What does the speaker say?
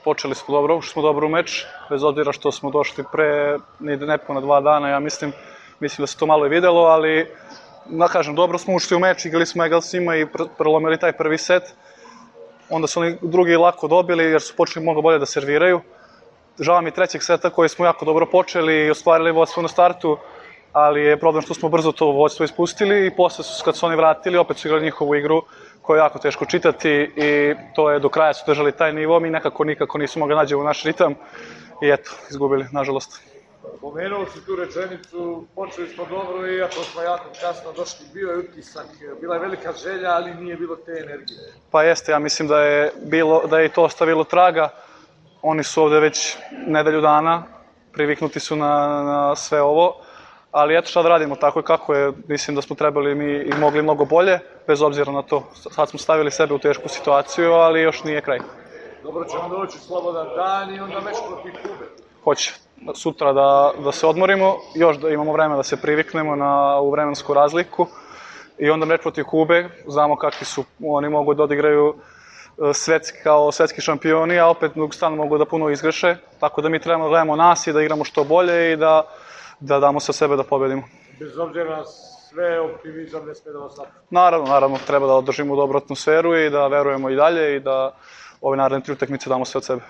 Počeli smo dobro, ušli smo dobro u meč, bez obzira što smo došli pre nepuna 2 dana, ja mislim da se to malo i videlo, ali da kažem, dobro smo ušli u meč, igrali smo egal s njima i prelomili taj prvi set. Onda su oni drugi lako dobili jer su počeli mnogo bolje da serviraju. Žao mi trećeg seta koji smo jako dobro počeli i ostvarili vodstvo na startu, ali je problem što smo brzo to vodstvo ispustili i posle kad su oni vratili, opet su igrali njihovu igru koju je jako teško čitati i to je do kraja su držali taj nivo, mi nikako nismo mogli nađemo naš ritam i eto, izgubili, nažalost. Pomenuo si tu rečenicu, počeli smo dobro iako smo jako kasno došli, bio je utisak, bila je velika želja, ali nije bilo te energije. Pa jeste, ja mislim da je i to ostavilo traga, oni su ovde već nedelju dana, priviknuti su na sve ovo, ali eto šta da radimo, tako je kako je, mislim da smo trebali mi i mogli mnogo bolje, bez obzira na to. Sad smo stavili sebe u tešku situaciju, ali još nije kraj. Dobro će vam doći slobodan dan i onda meč protiv Kube. Hoće sutra da se odmorimo, još da imamo vreme da se priviknemo na ovu vremensku razliku i onda meč protiv Kube, znamo kakvi su, oni mogu da odigraju kao svetski šampioni, a opet stalno mogu da puno izgreše, tako da mi trebamo da gledamo nas i da igramo što bolje i da damo se sebe da pobedimo. Bez obzira na sve, optimizam ne sme da vas napusti. Naravno, treba da održimo dobru atmosferu i da verujemo i dalje i da ove naredne 3 utakmice damo sve od sebe.